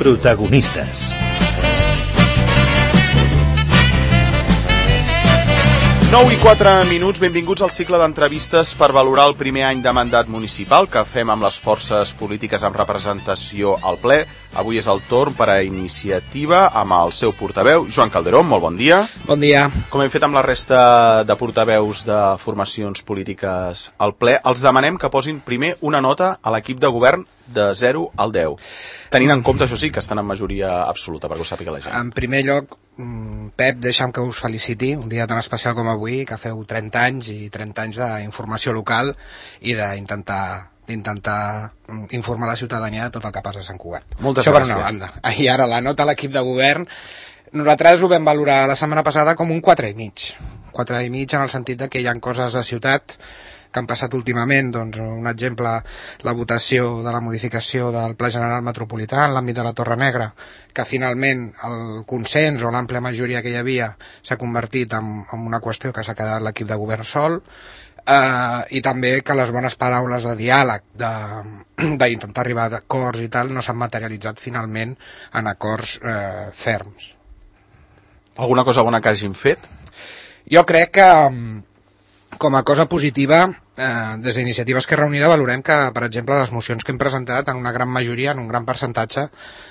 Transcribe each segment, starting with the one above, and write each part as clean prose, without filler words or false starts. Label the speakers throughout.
Speaker 1: Protagonistes.
Speaker 2: 9:04, benvinguts al cicle d'entrevistes per valorar el primer any de mandat municipal que fem amb les forces polítiques amb representació al ple. Avui és el torn per a Iniciativa amb el seu portaveu, Joan Calderón. Molt bon dia.
Speaker 3: Bon dia.
Speaker 2: Com hem fet amb la resta de portaveus de formacions polítiques al ple, els demanem que posin primer una nota a l'equip de govern de 0 al 10. Tenint en compte, això sí, que estan en majoria absoluta, perquè ho sàpiga la gent.
Speaker 3: En primer lloc, Pep, deixa'm que us feliciti, un dia tan especial com avui, que feu 30 anys i 30 anys d'informació local i d'intentar informar la ciutadania de tot el que passa a Sant Cugat.
Speaker 2: Moltes
Speaker 3: gràcies.
Speaker 2: Això
Speaker 3: per una banda. I ara la nota a l'equip de govern, nosaltres ho vam valorar la setmana passada com un 4,5. 4,5 en el sentit que hi ha coses de ciutat que han passat últimament, doncs un exemple, la votació de la modificació del Pla General Metropolità en l'àmbit de la Torre Negra, que finalment el consens o l'àmplia majoria que hi havia s'ha convertit en una qüestió que s'ha quedat l'equip de govern sol, i també que les bones paraules de diàleg, d'intentar arribar a acords i tal, no s'han materialitzat finalment en acords ferms.
Speaker 2: Alguna cosa bona que hagin fet?
Speaker 3: Jo crec que com a cosa positiva, des d'Iniciativa Esquerra Unida valorem que, per exemple, les mocions que hem presentat en una gran majoria, en un gran percentatge,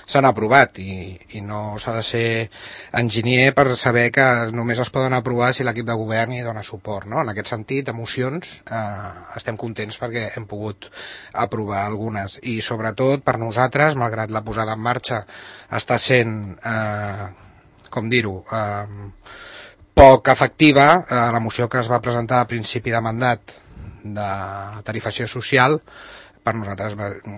Speaker 3: s'han aprovat i no s'ha de ser enginyer per saber que només es poden aprovar si l'equip de govern hi dona suport, no? En aquest sentit, de mocions, estem contents perquè hem pogut aprovar algunes i sobretot per nosaltres, malgrat la posada en marxa està sent, com dir-ho, poc efectiva, la moció que es va presentar a principi de mandat de tarifació social, per nosaltres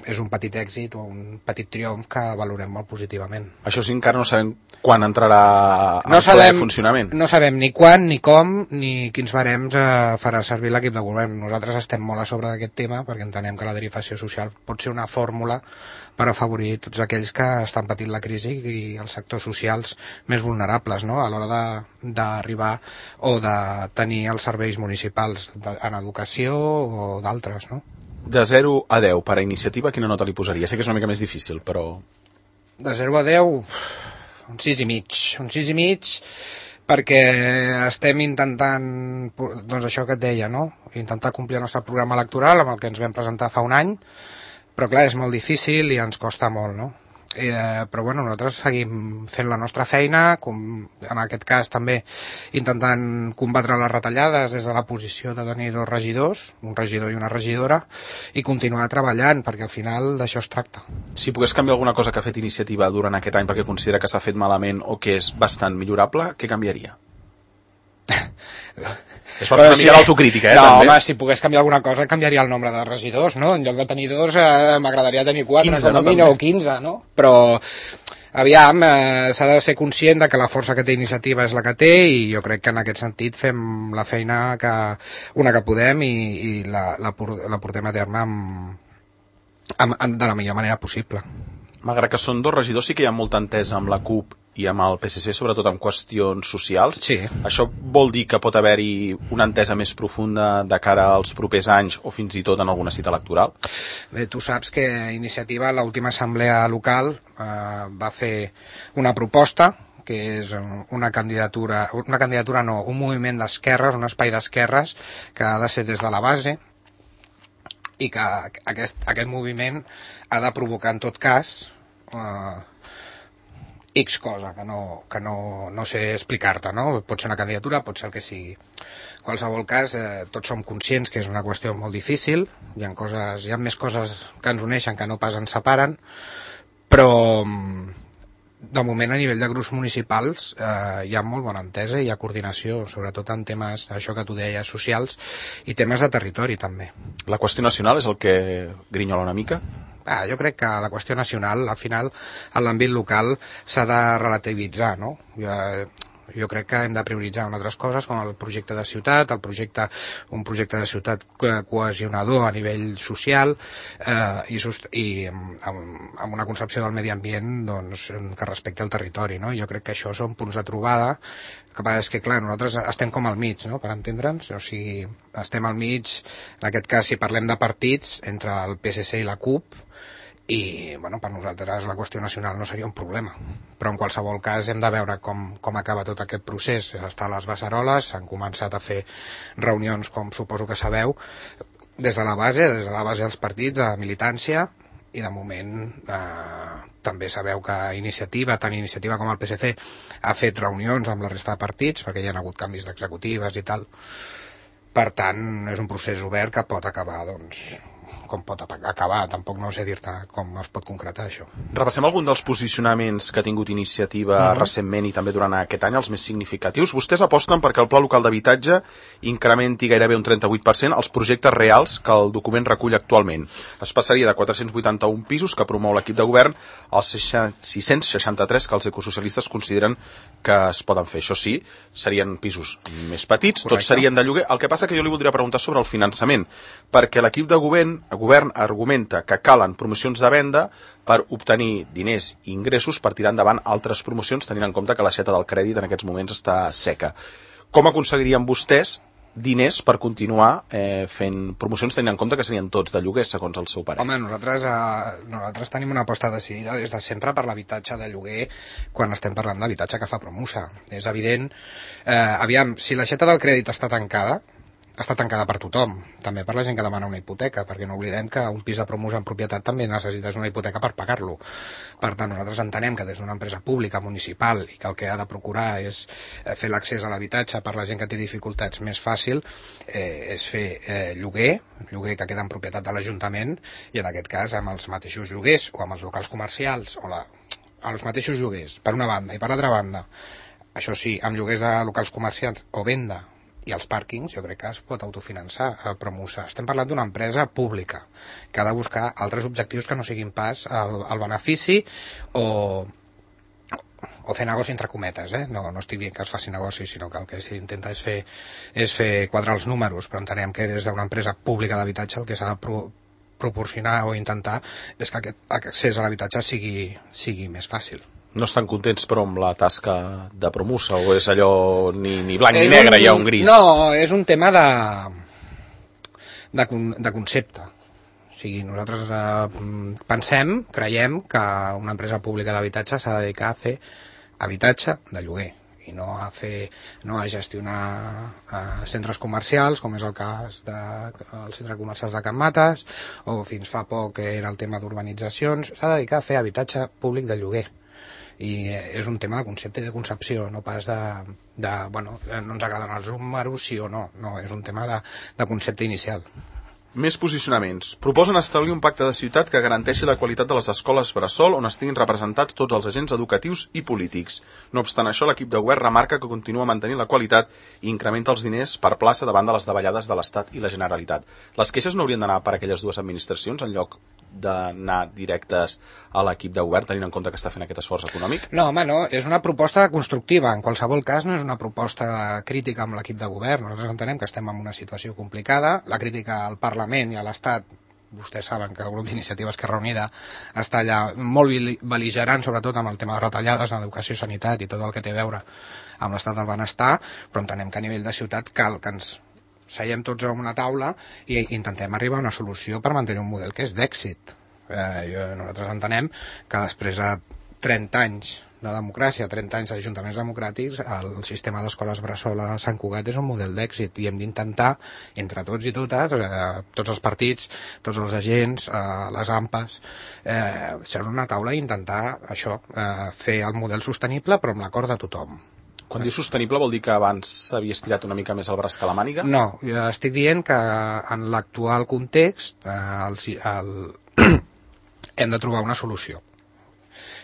Speaker 3: és un petit èxit o un petit triomf que valorem molt positivament.
Speaker 2: Això sí, encara no sabem quan entrarà en funcionament.
Speaker 3: No sabem ni quan, ni com, ni quins barems farà servir l'equip de govern. Nosaltres estem molt a sobre d'aquest tema perquè entenem que la tarifació social pot ser una fórmula per afavorir tots aquells que estan patint la crisi i els sectors socials més vulnerables, no? A l'hora d'arribar o de tenir els serveis municipals en educació o d'altres, no?
Speaker 2: De 0 a 10, per a Iniciativa, quina nota li posaria? Sé que és una mica més difícil, però...
Speaker 3: De 0 a 10, un 6,5. Un 6,5 perquè estem intentant, doncs això que et deia, no? Intentar complir el nostre programa electoral amb el que ens vam presentar fa un any, però clar, és molt difícil i ens costa molt, no? Però bueno, nosaltres seguim fent la nostra feina, en aquest cas també intentant combatre les retallades des de la posició de tenir 2 regidors, un regidor i una regidora, i continuar treballant, perquè al final d'això es tracta.
Speaker 2: Si pogués canviar alguna cosa que ha fet Iniciativa durant aquest any perquè considera que s'ha fet malament o que és bastant millorable, què canviaria? És per una mica l'autocrítica,
Speaker 3: no,
Speaker 2: també.
Speaker 3: home, si pogués canviar alguna cosa canviaria el nombre de regidors, no? En lloc de tenir 2 m'agradaria tenir 4,
Speaker 2: 15,
Speaker 3: com a mínim, o 15, no? Però aviam, s'ha de ser conscient de que la força que té Iniciativa és la que té i jo crec que en aquest sentit fem la feina que podem i la portem a terme de la millor manera possible.
Speaker 2: Malgrat que són 2 regidors, sí que hi ha molta entesa amb la CUP i amb el PSC, sobretot en qüestions socials.
Speaker 3: Sí.
Speaker 2: Això vol dir que pot haver-hi una entesa més profunda de cara als propers anys o fins i tot en alguna cita electoral?
Speaker 3: Bé, tu saps que Iniciativa, a l'última assemblea local, va fer una proposta que és una candidatura no, un moviment d'esquerres, un espai d'esquerres que ha de ser des de la base i que aquest moviment ha de provocar en tot cas X cosa, que no sé explicar-te, no? Pot ser una candidatura, pot ser el que sigui. En qualsevol cas, tots som conscients que és una qüestió molt difícil, hi ha més coses que ens uneixen que no pas ens separen, però de moment a nivell de grups municipals hi ha molt bona entesa i hi ha coordinació, sobretot en temes, això que tu deies, socials i temes de territori també.
Speaker 2: La qüestió nacional és el que grinyola una mica?
Speaker 3: Jo crec que la qüestió nacional, al final, en l'àmbit local s'ha de relativitzar, no? Jo crec que hem de prioritzar altres coses com el projecte de ciutat, un projecte de ciutat cohesionador a nivell social i amb una concepció del medi ambient doncs, que respecti el territori, no? Jo crec que això són punts de trobada. El que passa és que, clar, nosaltres estem com al mig, no?, per entendre'ns, o sigui, estem al mig, en aquest cas, si parlem de partits, entre el PSC i la CUP, i per nosaltres la qüestió nacional no seria un problema, però en qualsevol cas hem de veure com acaba tot aquest procés. Està a les beceroles, s'han començat a fer reunions, com suposo que sabeu, des de la base dels partits, de militància, i de moment també sabeu que tant Iniciativa com el PSC ha fet reunions amb la resta de partits, perquè hi ha hagut canvis d'executives i tal. Per tant, és un procés obert que pot acabar, com pot acabar, tampoc no sé dir-te com es pot concretar això.
Speaker 2: Repassem algun dels posicionaments que ha tingut Iniciativa recentment i també durant aquest any, els més significatius. Vostès aposten perquè el Pla Local d'Habitatge incrementi gairebé un 38% els projectes reals que el document recull actualment. Es passaria de 481 pisos que promou l'equip de govern als 663 que els ecosocialistes consideren que es poden fer. Això sí, serien pisos més petits, correcte, tots serien de lloguer. El que passa que jo li voldria preguntar sobre el finançament, perquè l'equip de govern argumenta que calen promocions de venda per obtenir diners i ingressos per tirar endavant altres promocions, tenint en compte que l'aixeta del crèdit en aquests moments està seca. Com aconseguirien vostès diners per continuar fent promocions, tenint en compte que serien tots de lloguer, segons el seu parer?
Speaker 3: Home, nosaltres tenim una aposta decidida des de sempre per l'habitatge de lloguer quan estem parlant d'habitatge que fa Promusa. És evident, aviam, si l'aixeta del crèdit està tancada per tothom, també per la gent que demana una hipoteca, perquè no oblidem que un pis de Promusa en propietat també necessites una hipoteca per pagar-lo. Per tant, nosaltres entenem que des d'una empresa pública, municipal, i que el que ha de procurar és fer l'accés a l'habitatge per la gent que té dificultats més fàcil, és fer lloguer que queda en propietat de l'Ajuntament, i en aquest cas amb els mateixos lloguers o amb els locals comercials, amb els mateixos lloguers, per una banda, i per l'altra banda, això sí, amb lloguers de locals comercials o venda, i els pàrquings, jo crec que es pot autofinançar a Promusa. Estem parlant d'una empresa pública que ha de buscar altres objectius que no siguin pas el benefici o fer negoci entre cometes, no estic dient que es faci negoci, sinó que el que s'intenta és fer quadrar els números, però entenem que des d'una empresa pública d'habitatge el que s'ha de proporcionar o intentar és que aquest accés a l'habitatge sigui més fàcil.
Speaker 2: No estan contents, però, amb la tasca de Promusa, o és allò ni blanc ni negre, hi ha un gris?
Speaker 3: No, és un tema de concepte. O sigui, nosaltres creiem que una empresa pública d'habitatge s'ha de dedicar a fer habitatge de lloguer i no a gestionar centres comercials, com és el cas dels centres comercials de Can Mates, o fins fa poc era el tema d'urbanitzacions. S'ha de dedicar a fer habitatge públic de lloguer. I és un tema de concepte i de concepció, no pas no ens agraden els números, sí o no, és un tema de concepte inicial.
Speaker 2: Més posicionaments. Proposen establir un pacte de ciutat que garanteixi la qualitat de les escoles bressol on estiguin representats tots els agents educatius i polítics. No obstant això, l'equip de govern remarca que continua mantenint la qualitat i incrementa els diners per plaça davant de les davallades de l'Estat i la Generalitat. Les queixes no haurien d'anar per aquelles dues administracions en lloc d'anar directes a l'equip de govern, tenint en compte que està fent aquest esforç econòmic?
Speaker 3: No, home, no, és una proposta constructiva. En qualsevol cas, no és una proposta crítica amb l'equip de govern. Nosaltres entenem que estem en una situació complicada. La crítica al Parlament i a l'Estat, vostès saben que el grup d'Iniciativa Esquerra Unida està allà molt bel·ligerant, sobretot amb el tema de retallades en educació i sanitat i tot el que té a veure amb l'estat del benestar, però entenem que a nivell de ciutat cal que ens seiem tots a una taula i intentem arribar a una solució per mantenir un model que és d'èxit. Nosaltres entenem que després de 30 anys de democràcia, 30 anys d'ajuntaments democràtics, el sistema d'escoles bressol a Sant Cugat és un model d'èxit i hem d'intentar, entre tots i totes, tots els partits, tots els agents, les AMPAs, ser una taula i intentar això, fer el model sostenible però amb l'acord de tothom.
Speaker 2: Quan dius sostenible vol dir que abans s'havia estirat una mica més el braç que la màniga?
Speaker 3: No, jo estic dient que en l'actual context hem de trobar una solució.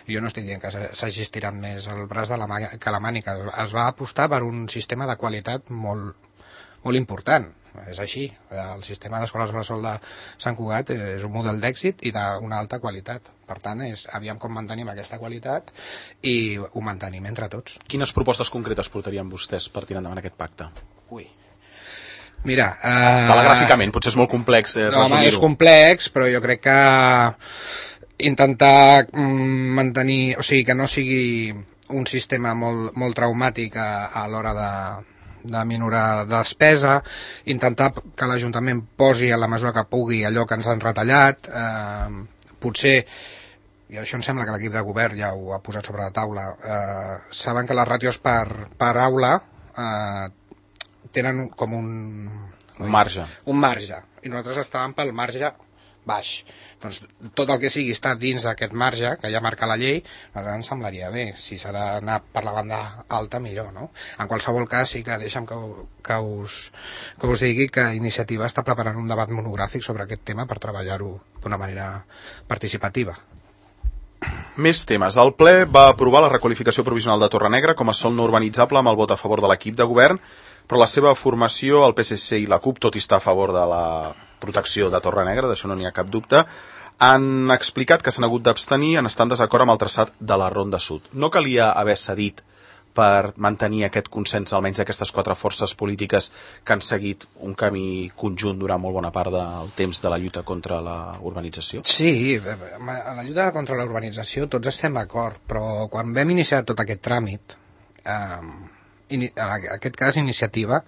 Speaker 3: Jo no estic dient que s'hagi estirat més el braç que la màniga. Es va apostar per un sistema de qualitat molt important. És així. El sistema d'escoles bressol de Sant Cugat és un model d'èxit i d'una alta qualitat. Per tant, aviam com mantenim aquesta qualitat i ho mantenim entre tots.
Speaker 2: Quines propostes concretes portarien vostès per tirar endavant aquest pacte?
Speaker 3: Mira...
Speaker 2: telegràficament, potser és molt complex resumir-ho.
Speaker 3: Home, és complex, però jo crec que intentar mantenir... O sigui, que no sigui un sistema molt traumàtic a l'hora de minorar despesa, intentar que l'Ajuntament posi a la mesura que pugui allò que ens han retallat, potser, i això em sembla que l'equip de govern ja ho ha posat sobre la taula, saben que les ràtios per aula tenen com un
Speaker 2: marge,
Speaker 3: i nosaltres estàvem pel marge baix. Doncs tot el que sigui està dins d'aquest marge que ja marca la llei, ens semblaria bé. Si s'ha d'anar per la banda alta, millor, no? En qualsevol cas, sí que deixa'm que us digui que Iniciativa està preparant un debat monogràfic sobre aquest tema per treballar-ho d'una manera participativa.
Speaker 2: Més temes. El ple va aprovar la requalificació provisional de Torrenegra com a sòl no urbanitzable amb el vot a favor de l'equip de govern, però la seva formació, el PSC i la CUP, tot i estar a favor de la protecció de Torrenegra, d'això no n'hi ha cap dubte, han explicat que s'han hagut d'abstenir en estar en desacord amb el traçat de la Ronda Sud. No calia haver cedit per mantenir aquest consens, almenys d'aquestes 4 forces polítiques que han seguit un camí conjunt durant molt bona part del temps de la lluita contra la urbanització?
Speaker 3: Sí, a la lluita contra la urbanització tots estem d'acord, però quan vam iniciar tot aquest tràmit, en aquest cas Iniciativa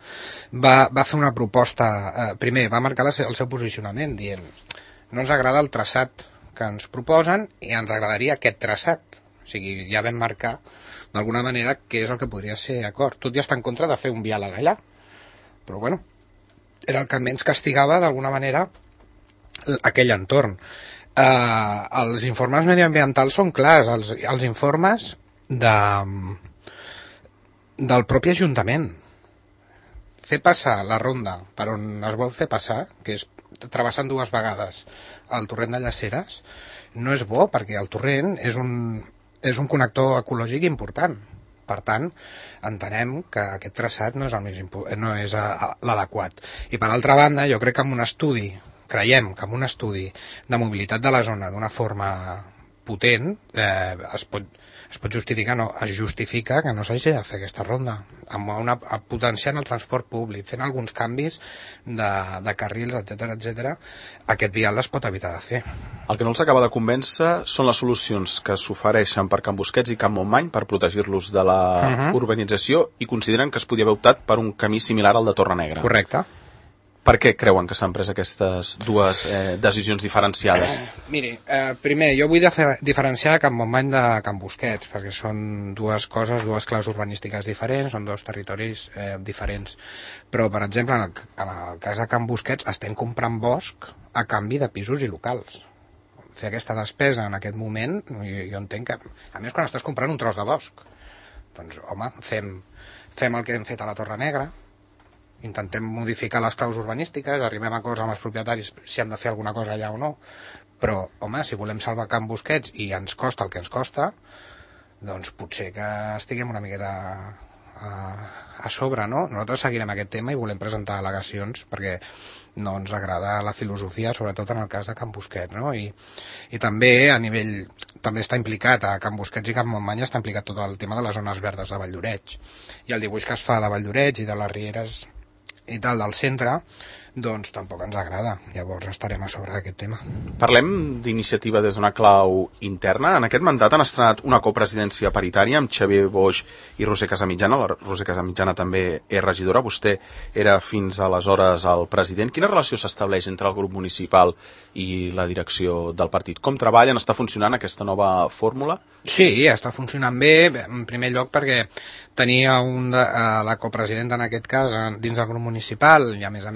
Speaker 3: va fer una proposta, primer va marcar el seu posicionament dient no ens agrada el traçat que ens proposen i ens agradaria aquest traçat, o sigui, ja vam marcar d'alguna manera què és el que podria ser acord. Tot ja està en contra de fer un diàleg allà, però bueno, era el que menys castigava d'alguna manera aquell entorn. Els informes mediambientals són clars, els informes del propi Ajuntament. Fer passar la ronda per on es vol fer passar, que és travessant 2 vegades el torrent de Llaceres, no és bo perquè el torrent és un connector ecològic important. Per tant, entenem que aquest traçat no és l'adequat. I per altra banda, jo crec que creiem que amb un estudi de mobilitat de la zona d'una forma potent es pot justificar, es justifica que no s'hagi de fer aquesta ronda, potenciant el transport públic, fent alguns canvis de carrils, etc. Aquest vial es pot evitar de fer.
Speaker 2: El que no els acaba de convèncer són les solucions que s'ofereixen per Can Busquets i Can Montmany per protegir-los de la urbanització i consideren que es podia haver optat per un camí similar al de Torrenegra.
Speaker 3: Correcte.
Speaker 2: Per què creuen que s'han pres aquestes dues decisions diferenciades?
Speaker 3: Miri, primer, jo vull diferenciar Can Montmany de Can Busquets, perquè són dues claus urbanístiques diferents, són 2 territoris diferents. Però, per exemple, en el cas de Can Busquets estem comprant bosc a canvi de pisos i locals. Fer aquesta despesa en aquest moment, jo entenc que... A més, quan estàs comprant un tros de bosc, doncs, home, fem el que hem fet a la Torrenegra, intentem modificar les claus urbanístiques, arribem a acords amb els propietaris si han de fer alguna cosa allà o no, però, home, si volem salvar Can Busquets i ens costa el que ens costa, doncs potser que estiguem una miqueta a sobre, no? Nosaltres seguirem aquest tema i volem presentar al·legacions perquè no ens agrada la filosofia, sobretot en el cas de Can Busquets, no? I també a nivell... També està implicat a Can Busquets i Can Montmany, està implicat tot el tema de les zones verdes de Valldoreix. I el dibuix que es fa de Valldoreix i de les rieres i tal del centre, doncs tampoc ens agrada. Llavors estarem a sobre d'aquest tema.
Speaker 2: Parlem d'Iniciativa des d'una clau interna. En aquest mandat han estrenat una copresidència paritària amb Xavier Boix i Roser Casamitjana. La Roser Casamitjana també és regidora. Vostè era fins aleshores el president. Quina relació s'estableix entre el grup municipal i la direcció del partit? Com treballen? Està funcionant aquesta nova fórmula?
Speaker 3: Sí, està funcionant bé, en primer lloc perquè tenia la copresidenta en aquest cas dins del grup municipal i a més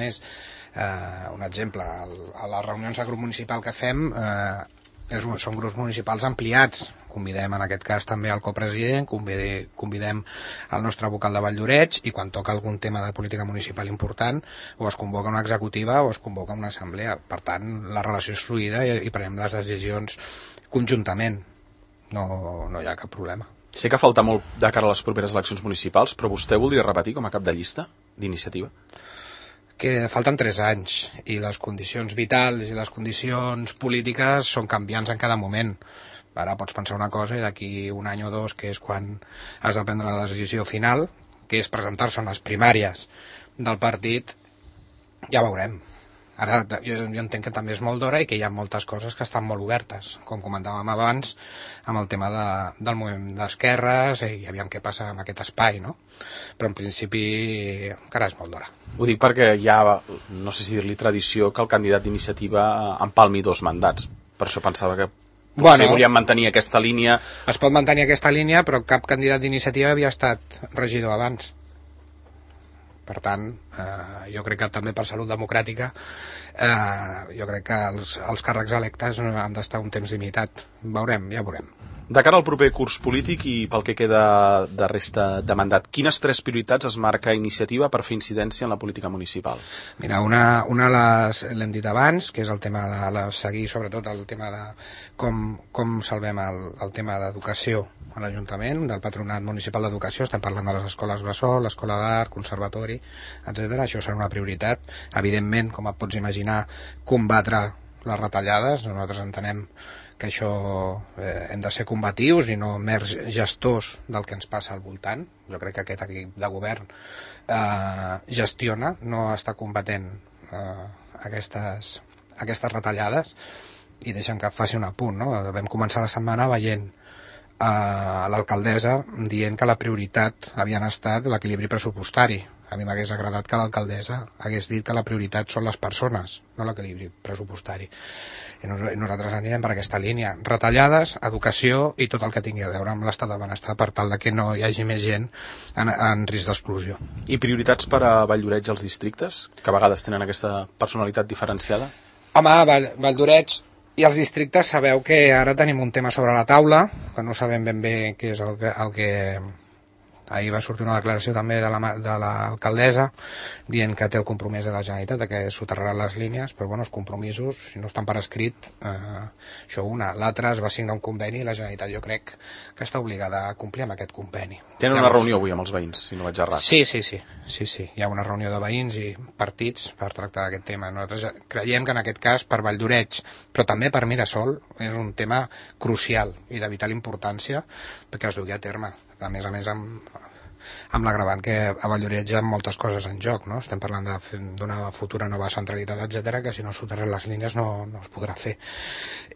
Speaker 3: un exemple, a les reunions de grup municipal que fem són grups municipals ampliats. Convidem en aquest cas també el copresident, convidem el nostre vocal de Valldoreix i quan toca algun tema de política municipal important o es convoca una executiva o es convoca una assemblea. Per tant, la relació és fluida i prenem les decisions conjuntament. No hi ha cap problema.
Speaker 2: Sé que falta molt de cara a les properes eleccions municipals, però vostè voldria repetir com a cap de llista d'Iniciativa?
Speaker 3: Que falten 3 anys i les condicions vitals i les condicions polítiques són canviants en cada moment. Ara pots pensar una cosa i d'aquí un any o 2, que és quan has de prendre la decisió final, que és presentar-se en les primàries del partit, ja veurem. Ara jo entenc que també és molt d'hora i que hi ha moltes coses que estan molt obertes, com comentàvem abans, amb el tema del moviment d'esquerres i aviam què passa amb aquest espai, no? Però en principi encara és molt d'hora.
Speaker 2: Ho dic perquè hi ha, no sé si dir-li tradició, que el candidat d'Iniciativa empalmi 2 mandats. Per això pensava que potser volien mantenir aquesta línia.
Speaker 3: Es pot mantenir aquesta línia, però cap candidat d'iniciativa havia estat regidor abans. Per tant, jo crec que també per salut democràtica, jo crec que els càrrecs electes han d'estar un temps limitat. Ja veurem.
Speaker 2: De cara al proper curs polític i pel que queda de resta de mandat, quines 3 prioritats es marca Iniciativa per fer incidència en la política municipal?
Speaker 3: Mira, una l'hem dit abans, que és el tema de seguir sobretot el tema de com salvem el tema d'educació a l'Ajuntament, del Patronat Municipal d'Educació. Estem parlant de les escoles bressol, l'escola d'art, conservatori, etc. Això serà una prioritat. Evidentment, com et pots imaginar, combatre les retallades. Nosaltres entenem que això hem de ser combatius i no mers gestors del que ens passa al voltant. Jo crec que aquest equip de govern gestiona, no està combatent aquestes retallades. I deixa'm que faci un apunt, no? Vam començar la setmana veient l'alcaldessa dient que la prioritat havien estat l'equilibri pressupostari. A mi m'hagués agradat que l'alcaldessa hagués dit que la prioritat són les persones, no l'equilibri pressupostari. I nosaltres anirem per aquesta línia. Retallades, educació i tot el que tingui a veure amb l'estat del benestar per tal de que no hi hagi més gent en risc d'exclusió.
Speaker 2: I prioritats per a Valldoreix als districtes, que a vegades tenen aquesta personalitat diferenciada?
Speaker 3: Home, Valldoreix i els districtes sabeu que ara tenim un tema sobre la taula, que no sabem ben bé què és el que ahir va sortir una declaració també de l'alcaldessa dient que té el compromís de la Generalitat de que soterraran les línies, però bueno, els compromisos, si no estan per escrit, això una. L'altra es va signar un conveni i la Generalitat jo crec que està obligada a complir amb aquest conveni.
Speaker 2: Tenen una reunió avui amb els veïns, si no vaig errat.
Speaker 3: Sí. Hi ha una reunió de veïns i partits per tractar aquest tema. Nosaltres creiem que en aquest cas per Valldoreix, però també per Mirasol, és un tema crucial i de vital importància perquè es dugui a terme. A més amb l'agravant que a Valldoreix hi ha moltes coses en joc, no? Estem parlant d'una futura nova centralitat, etc, que si no soterren les línies no es podrà fer.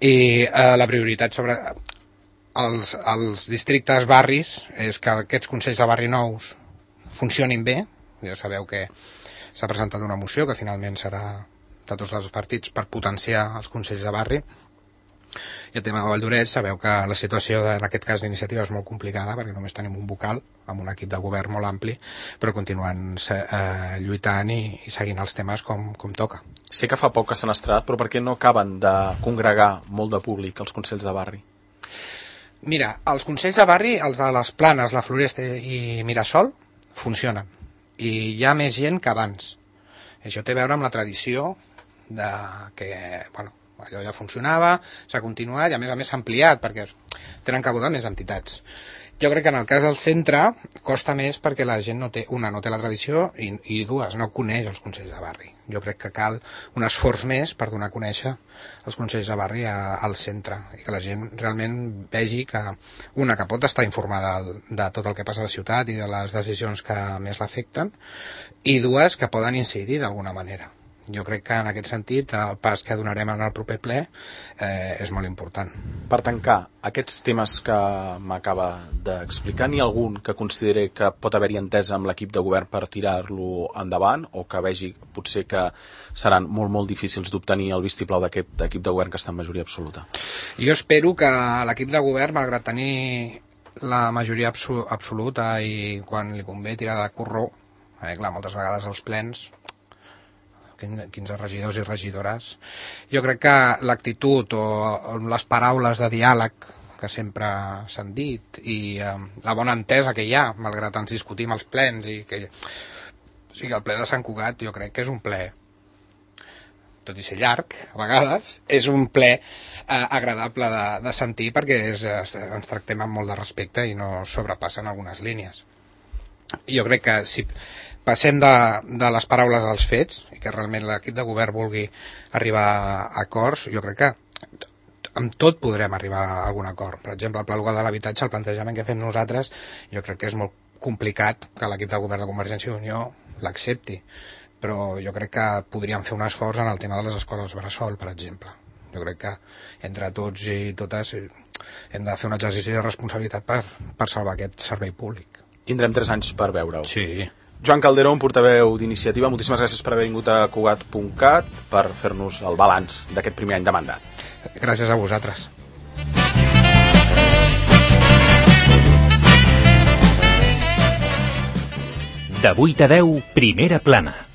Speaker 3: I la prioritat sobre els districtes barris és que aquests consells de barri nous funcionin bé. Ja sabeu que s'ha presentat una moció que finalment serà de tots els partits per potenciar els consells de barri. I el tema de Valldoreix, sabeu que la situació en aquest cas d'iniciativa és molt complicada perquè només tenim un vocal amb un equip de govern molt ampli, però continuen lluitant i seguint els temes com toca.
Speaker 2: Sé que fa poc que s'han estrenat, però per què no acaben de congregar molt de públic els consells de barri?
Speaker 3: Mira, els consells de barri, els de les Planes, la Floresta i Mirasol, funcionen. I hi ha més gent que abans. Això té a veure amb la tradició de que, bueno, allò ja funcionava, s'ha continuat i a més s'ha ampliat perquè tenen cabuda més entitats. Jo crec que en el cas del centre costa més perquè la gent no té la tradició i dues, no coneix els consells de barri. Jo crec que cal un esforç més per donar a conèixer els consells de barri al centre i que la gent realment vegi que pot estar informada de tot el que passa a la ciutat i de les decisions que més l'afecten i dues, que poden incidir d'alguna manera. Jo crec que en aquest sentit el pas que donarem en el proper ple és molt important.
Speaker 2: Per tancar, aquests temes que m'acaba d'explicar, n'hi ha algun que consideri que pot haver-hi entesa amb l'equip de govern per tirar-lo endavant o que vegi potser que seran molt, molt difícils d'obtenir el vistiplau d'aquest equip de govern que està en majoria absoluta?
Speaker 3: Jo espero que l'equip de govern, malgrat tenir la majoria absoluta i quan li convé tirar de corró, clar, moltes vegades els plens 15 regidors i regidores. Jo crec que l'actitud o les paraules de diàleg que sempre s'han dit i la bona entesa que hi ha, malgrat ens discutim els plens i que o sigui, el ple de Sant Cugat jo crec que és un ple, tot i ser llarg a vegades, és un ple agradable de sentir perquè ens tractem amb molt de respecte i no sobrepassen algunes línies. Jo crec que si passem de les paraules als fets i que realment l'equip de govern vulgui arribar a acords, jo crec que amb tot podrem arribar a algun acord. Per exemple, el Pla Local de l'Habitatge, el plantejament que fem nosaltres, jo crec que és molt complicat que l'equip de govern de Convergència i Unió l'accepti, però jo crec que podríem fer un esforç en el tema de les escoles bressol, per exemple. Jo crec que entre tots i totes hem de fer un exercici de responsabilitat per salvar aquest servei públic.
Speaker 2: Tindrem 3 anys per veure'l.
Speaker 3: Sí.
Speaker 2: Joan Calderón, portaveu d'Iniciativa, moltíssimes gràcies per haver vingut a Cugat.cat per fer-nos el balanç d'aquest primer any de mandat.
Speaker 3: Gràcies a vosaltres.
Speaker 1: De 8 a 10, Primera Plana.